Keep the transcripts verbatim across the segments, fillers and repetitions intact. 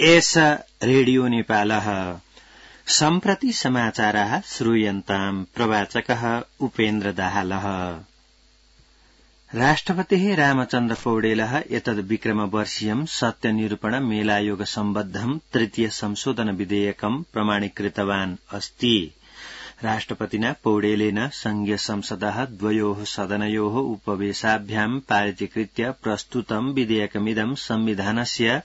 एष रेडियो नेपालः सम्प्रति समाचाराः श्रूयन्ताम् प्रवाचकः उपेन्द्र दाहालः। राष्ट्रपतिः रामचन्द्र पौडेलः एतद् विक्रमवर्षीयम् सत्यनिरूपण मेलायोग सम्बद्धम् तृतीय संशोधन विधेयकम् प्रमाणीकृतवान् अस्ति। राष्ट्रपतिना पौडेलेन संघीय संसदः द्वयोः सदनयोः उपवेशाभ्याम् पारितीकृत्य प्रस्तुतम् विधेयकमिदम् संविधानस्य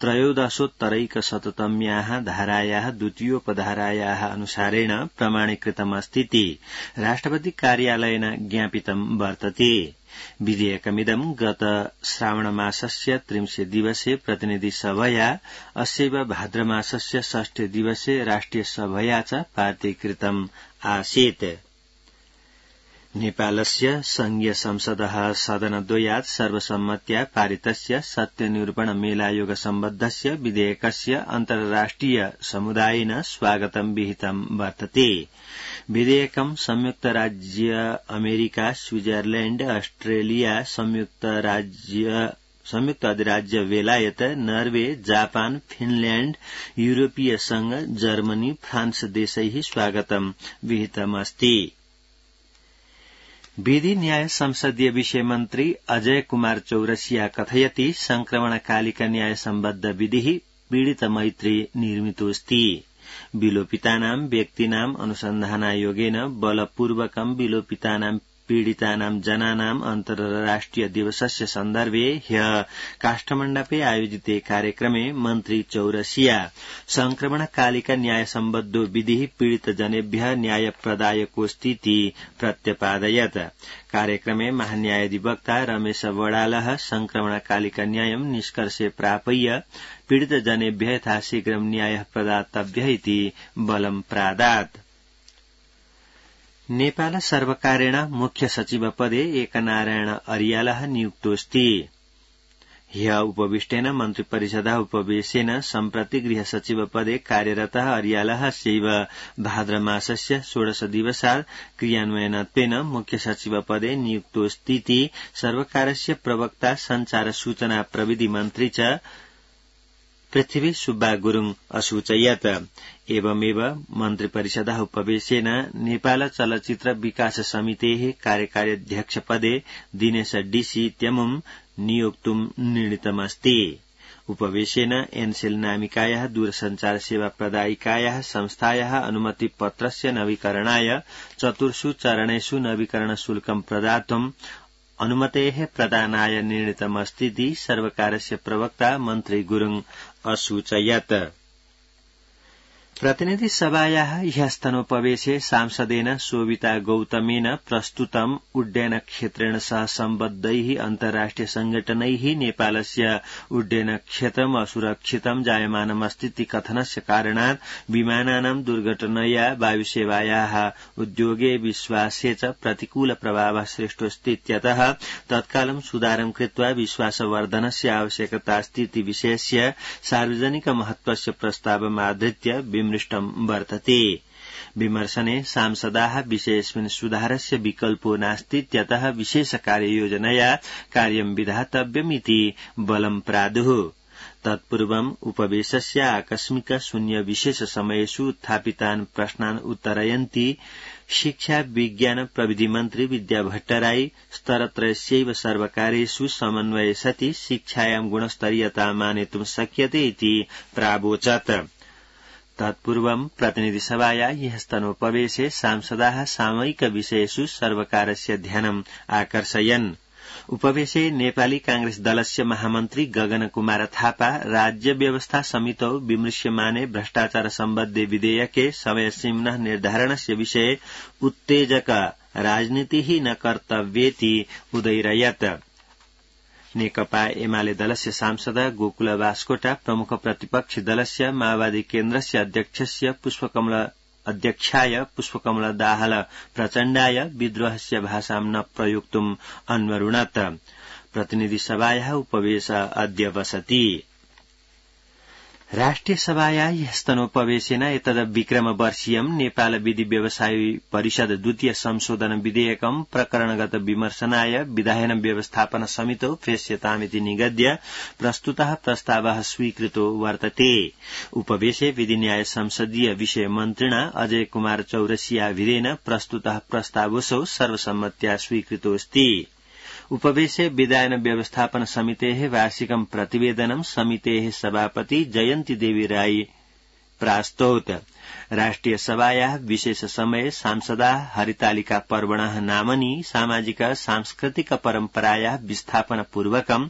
त्रयोदशोत्तरैकशततम्याः धारायाः द्वितीयोपधारायाः अनुसारेण प्रमाणीकृतमस्तीति राष्ट्रपति कार्यालयेन ज्ञापितम् वर्तते। विधेयकमिदम् गत श्रावणमासस्य त्रिंशे दिवसे प्रतिनिधिसभया अस्यैव भाद्रमासस्य षष्ठे दिवसे राष्ट्रिय सभया च पारितीकृतम् आसीत्। नेपालस्य संघीय संसदः सदनद्वयात् सर्वसम्मत्या पारितस्य सत्यनिरूपण मेलायोग सम्बद्धस्य विधेयकस्य अन्तर्राष्ट्रिय समुदायेन स्वागतं विहितं वर्तते। विधेयकं संयुक्त राज्य अमेरिका, स्विट्जरलैंड, ऑस्ट्रेलिया, संयुक्त राज्य संयुक्त अधिराज्य बेलायत, नर्वे, जापान, फिनलैंड, यूरोपीय संघ, जर्मनी, फ्रांस देशैः स्वागतं विहितमस्ति। विधि न्याय संसदीय विषय मन्त्री अजय कुमार चौरसिया कथयति संक्रमणकालिक न्याय सम्बद्ध विधिः पीड़ित मैत्री निर्मितोऽस्ति। विलोपितानां व्यक्तीनाम् अनुसन्धानायोगेन बलपूर्वकं विलोपितानां पीड़ितानां जनानां अन्तर्राष्ट्रिय दिवसस्य सन्दर्भे ह्यः काष्ठमण्डपे आयोजिते कार्यक्रमे मन्त्री चौरसिया संक्रमणकालिक न्याय सम्बद्धो विधिः पीड़ितजनेभ्यः न्यायप्रदायकोऽस्तीति प्रत्यपादयत्। कार्यक्रमे महान्यायाधिवक्ता रमेश वडालः संक्रमणकालिक न्यायं निष्कर्षे प्रापय्य पीड़ितजनेभ्यः यथाशीघ्रं न्यायः प्रदातव्यः इति बलं प्रादात्। नेपाल सर्वकारेण मुख्य सचिव पदे एकनारायण अर्यालः नियुक्तोऽस्ति। ह्यः उपविष्टेन मन्त्रिपरिषदः उपवेशेन सम्प्रति गृह सचिव पदे कार्यरतः अर्यालः अस्यैव भाद्रमासस्य षोडश दिवसात् क्रियान्वयनत्वेन मुख्य सचिव पदे नियुक्तोऽस्तीति सर्वकारस्य प्रवक्ता संचार सूचना प्रविधि मन्त्री च पृथ्वी सुब्बा गुरुङ असूचयत्। एवमेव मन्त्रिपरिषदः उपवेशेन नेपाल चलचित्र विकास समितेः कार्यकारी अध्यक्ष पदे दिनेश डीसी इत्यमुम् नियोक्तुम् निर्णीतमस्ति। उपवेशेन एनसेल नामिकायाः दूरसञ्चार सेवा प्रदायिकायाः संस्थायाः अनुमतिपत्रस्य नवीकरणाय चतुर्षु चरणेषु नवीकरण शुल्कं प्रदातुम् अनुमतेः प्रदानाय निर्णीतमस्तीति सर्वकारस्य प्रवक्ता मन्त्री गुरुङ असूचयत्। प्रतिनिधि सभायाः ह्यस्तनोपवेशे सांसदेन शोभिता गौतमेन प्रस्तुतम् उड्डयन क्षेत्रेण सह सम्बद्धैः अन्तर्राष्ट्रिय संघटनैः नेपालस्य उड्डयन क्षेत्रम् असुरक्षितं जायमानमस्तीति कथनस्य कारणात् विमानानां दुर्घटनया वायुसेवायाः उद्योगे विश्वासे च प्रतिकूल प्रभावः सृष्टोऽस्तीत्यतः तत्कालं सुधारं कृत्वा विश्वासवर्धनस्य आवश्यकतास्तीति विषयस्य सार्वजनिक महत्वस्य प्रस्तावमाधृत्य विमृष्टं वर्तते। विमर्शने सांसदाः विषयेऽस्मिन् सुधारस्य विकल्पो नास्तीत्यतः विशेष कार्ययोजनया कार्यं विधातव्यमिति बलं प्रादुः। तत्पूर्वम् उपवेशस्य आकस्मिक शून्य विशेष समयेषु उत्थापितान् प्रश्नान् उत्तरयन्ती शिक्षा विज्ञान प्रविधि मन्त्री विद्या भट्टराई स्तरत्रयस्यैव सर्वकारेषु समन्वये सति शिक्षायां गुणस्तरीयता मानेतुं शक्यते इति प्रावोचत्। तत्पूर्वं प्रतिनिधिसभाया ह्यस्तनोपवेशे सांसदाः सामयिक विषयेषु सर्वकारस्य ध्यानम् आकर्षयन्। उपवेशे नेपाली कांग्रेस दलस्य महामन्त्री गगन कुमार थापा राज्य व्यवस्था समितौ विमृश्यमाने भ्रष्टाचार सम्बद्धे विधेयके समयसीम्नः निर्धारणस्य विषये उत्तेजक राजनीतिः न कर्तव्येति उदैरयत्। नेकपा एमाले दलस्य सांसद गोकुल बास्कोटा प्रमुख प्रतिपक्षी दलस्य माओवादी केन्द्रस्य अध्यक्षस्य पुष्पकमल अध्यक्षाय पुष्पकमल दाहाल प्रचण्डाय विद्रोहस्य भाषां न प्रयोक्तुम् अन्वरुणत्। प्रतिनिधि सभायाः उपवेश अद्य बसति। राष्ट्रिय सभाया ह्यस्तनोपवेशेन एतद् विक्रमवर्षीयं नेपाल विधि व्यवसाय परिषद द्वितीय संशोधन विधेयकं प्रकरणगत विमर्शनाय विधायन व्यवस्थापन समितौ प्रेष्यतामिति निगद्य प्रस्तुतः प्रस्तावः स्वीकृतो वर्तते। उपवेशे विधि न्याय संसदीय विषय मन्त्रिणा अजय कुमार चौरसियाभिरेण प्रस्तुतः प्रस्तावोऽसौ सर्वसम्मत्या स्वीकृतोऽस्ति। उपवेशे विधायन व्यवस्थापन समितेः वार्षिकं प्रतिवेदनं समितेः सभापति जयन्ती देवी राई प्रास्तौत। राष्ट्रिय सभायाः विशेष समये सांसदाः हरितालिका पर्वणः नामनि सामाजिक सांस्कृतिक परम्परायाः विस्थापनपूर्वकं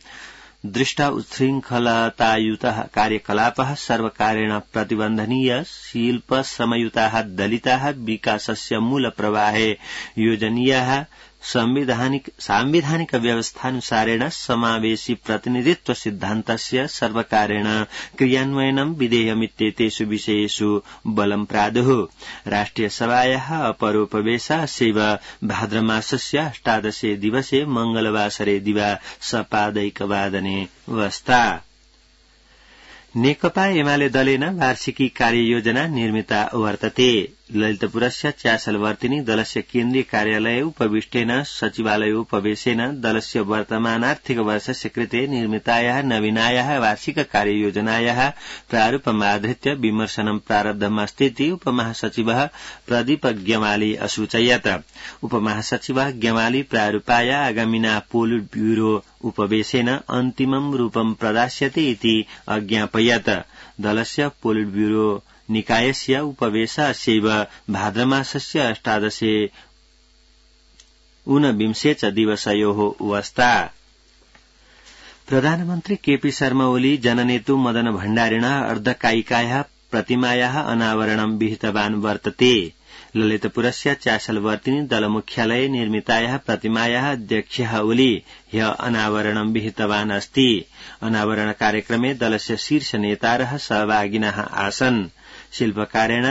दृष्टा उच्छृङ्खलतायुतः कार्यकलापः सर्वकारेण प्रतिबन्धनीय शिल्प समयुताः दलिताः विकासस्य मूलप्रवाहे योजनीयाः संविधानिक सांविधानिक व्यवस्थानुसारेण समावेशी प्रतिनिधित्व सिद्धान्तस्य सर्वकारेण क्रियान्वयनं विधेयमित्येतेषु विषयेषु बलं प्रादुः। राष्ट्रिय सभायाः अपरोपवेशः अस्य भाद्रमासस्य अष्टादशे दिवसे मंगलवासरे दिवा सपादैकवादने वस्ता। नेकपा एमाले दलेन वार्षिकी कार्ययोजना निर्मिता वर्तते। ललितपुरस्य चासलवर्तिनी दलस्य केन्द्रीय कार्यालये उपविष्टेन सचिवालयोपवेशेन दलस्य वर्तमानार्थिक वर्षस्य कृते निर्मितायाः नवीनायाः वार्षिक कार्ययोजनायाः प्रारूपमाधृत्य विमर्शनं प्रारब्धमस्तीति उपमहासचिवः प्रदीप ग्यमाली असूचयत्। उपमहासचिवः ग्यमाली प्रारूपाय आगामिना पोलिट ब्यूरो उपवेशेन अन्तिमं रूपं प्रदास्यते इति अज्ञापयत्। दलस्य पोलिट ब्यूरो निकायस्य उपवेशः अस्यैव भाद्रमासस्य अष्टादशे ऊनविंशे च दिवसयोः वस्ता। प्रधानमन्त्री केपी शर्मा ओली जननेतु मदन भण्डारिणः अर्धकायिकायाः प्रतिमायाः अनावरणं विहितवान् वर्तते। ललितपुरस्य चासलवर्तिनी दलमुख्यालये निर्मितायाः प्रतिमायाः अध्यक्षः ओली ह्य अनावरणं विहितवान् अस्ति। अनावरण कार्यक्रमे दलस्य शीर्ष नेतारः सहभागिनः आसन्। शिल्पकारेण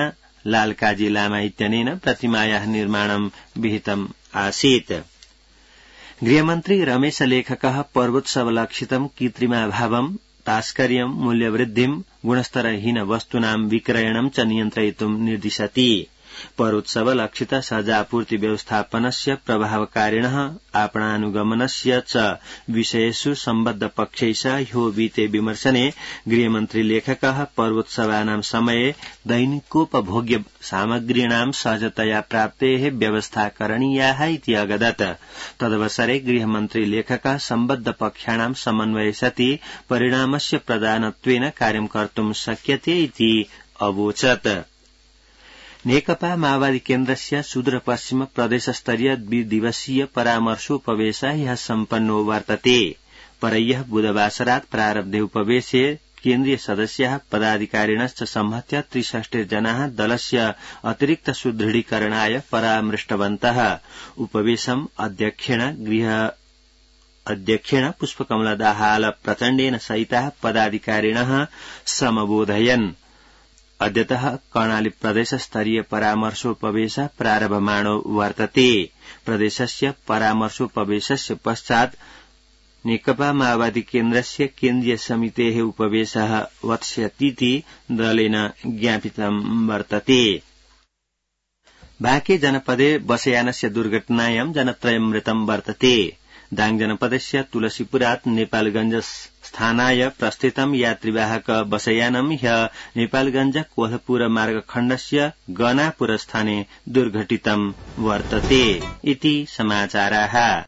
लालकाजी लामा इत्यनेन प्रतिमायाः निर्माणं विहितम् आसीत्। गृहमन्त्री रमेश लेखकः पर्वोत्सवलक्षितं कृत्रिमाभावं तास्कर्यं मूल्यवृद्धिं गुणस्तरहीन वस्तूनां विक्रयणं च नियन्त्रयितुं निर्दिशति। पर्वोत्सवलक्षित सहजापूर्ति व्यवस्थापनस्य प्रभावकारिणः आपणानुगमनस्य च विषयेषु सम्बद्ध पक्षैः सह ह्यो विते विमर्शने गृहमन्त्री लेखकः पर्वोत्सवानां समये दैनिकोपभोग्य सामग्रीणां सहजतया प्राप्तेः व्यवस्था करणीया इति अगदत्। तदवसरे गृहमन्त्री लेखकः सम्बद्ध पक्षाणां समन्वये सति परिणामस्य प्रदानत्वेन कार्यं कर्तुं शक्यते इति अवोचत्। नेकपा माओवादी केन्द्रस्य सुदूरपश्चिम प्रदेशस्तरीय द्विदिवसीय परामर्शोपवेशः ह्यः सम्पन्नो वर्तते। परह्यः बुधवासरात् प्रारब्धे उपवेशे केन्द्रीय सदस्याः पदाधिकारिणश्च संहत्य त्रिषष्टिर्जनाः दलस्य अतिरिक्त सुदृढीकरणाय परामृष्टवन्तः। उपवेशम् अध्यक्षेण गृह अध्यक्षेण पुष्पकमला दाहाल प्रचण्डेन सहिताः पदाधिकारिणः समबोधयन्। अद्यतः कर्णाली प्रदेश स्तरीय परामर्शोपवेशः प्रारभमाणो वर्तते। प्रदेशस्य परामर्शोपवेशस्य पश्चात् नेकपा माओवादी केन्द्रस्य केन्द्रीय समितेः उपवेशः वत्स्यतीति दलेन ज्ञापितं वर्तते। बाँके जनपदे बसयानस्य दुर्घटनायां जनत्रयं मृतं वर्तते। दाङ जनपदस्य तुलसीपुरात् नेपालगंज स्थानाय प्रस्थितं यात्रीवाहक बसयानं ह्यः नेपालगंज कोल्हापुर मार्गखण्डस्य गनापुर स्थाने दुर्घटितं वर्तते इति समाचाराः।